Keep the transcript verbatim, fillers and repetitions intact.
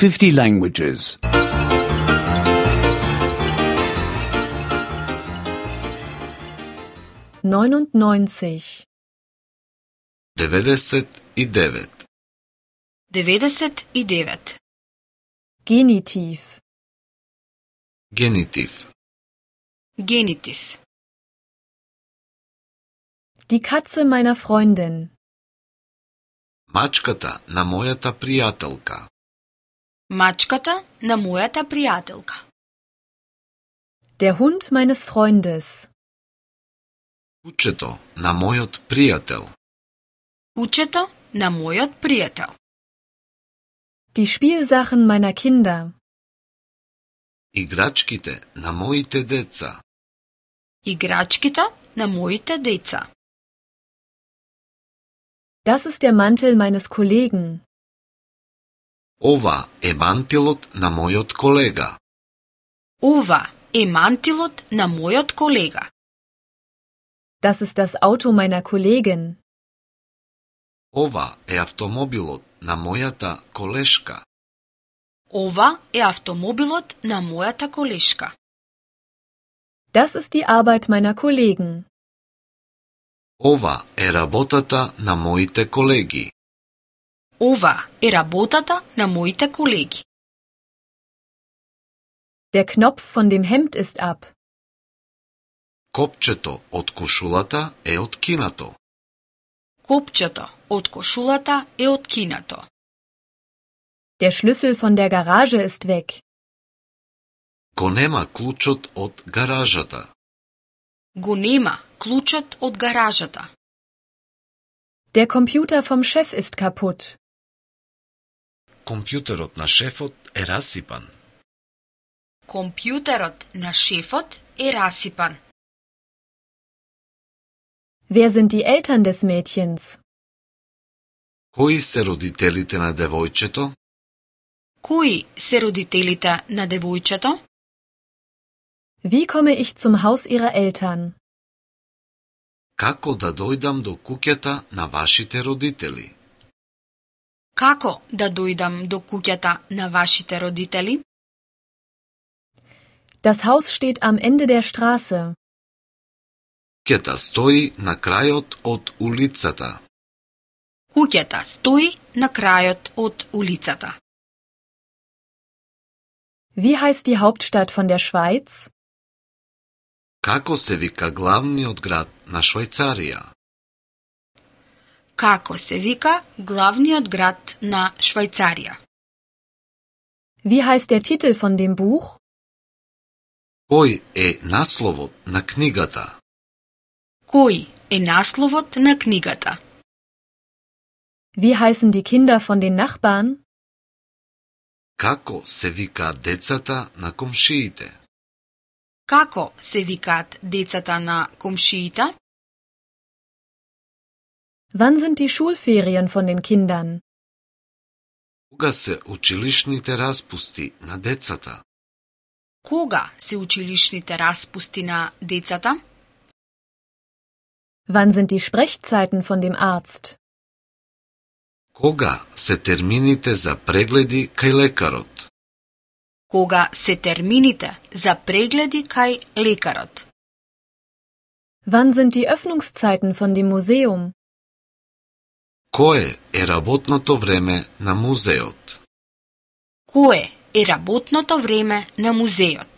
fifty languages. neunundneunzig. деветдесет и девет. деветдесет и девет. Genitiv. Генитив. Генитив. Die Katze meiner Freundin. Мачката на мојата пријателка. Мачката на мојата пријателка. Der Hund meines Freundes. Кучето на мојот пријател. Кучето на мојот пријател. Die Spielsachen meiner Kinder. Играчките на моите деца. Играчките на моите деца. Das ist der Mantel meines Kollegen. Ова е мантилот на мојот колега. Ова е мантилот на мојот колега. Das ist das Auto meiner Kollegin. Ова е автомобилот на мојата колешка. Ова е автомобилот на мојата колешка. Das ist die Arbeit meiner Kollegen. Ова е работата на моите колеги. Ова е работата на моите колеги. Der Knopf von dem Hemd ist ab. Копчето од кошулата е откинато. Копчето од кошулата е откинато. Der Schlüssel von der Garage ist weg. Го нема клучот од гаражата. Го нема клучот од гаражата. Der Computer vom Chef ist kaputt. Компјутерот на шефот е расипан. Компјутерот на шефот е расипан. Wer sind die Eltern des Mädchens? Кои се родителите на девојчето? Кои се родителите на девојчето? Wie komme ich zum Haus ihrer Eltern? Како да дојдам до куќата на вашите родители? Како да дојдам до куќата на вашите родители? Das Haus steht am Ende der Straße. Куќата стои на крајот од улицата. Куќата стои на крајот од улицата. Wie heißt die Hauptstadt von der Schweiz? Како се вика главниот град на Швајцарија? Како се вика главниот град на Швајцарија? Wie heißt der Titel von dem Buch? Кој е насловот на книгата? Кој е насловот на книгата? Wie heißen die Kinder von den Nachbarn? Како се викаат децата на комшиите? Како се викаат децата на комшиите? Wann sind die Schulferien von den Kindern? Кога се училишните распусти на децата? Кога се училишните распусти на децата? Wann sind die Sprechzeiten von dem Arzt? Кога се термините за прегледи кај лекарот? Кога се термините за прегледи кај лекарот? Wann sind die Öffnungszeiten von dem Museum? Кое е работното време на музеот? Кое е работното време на музеот?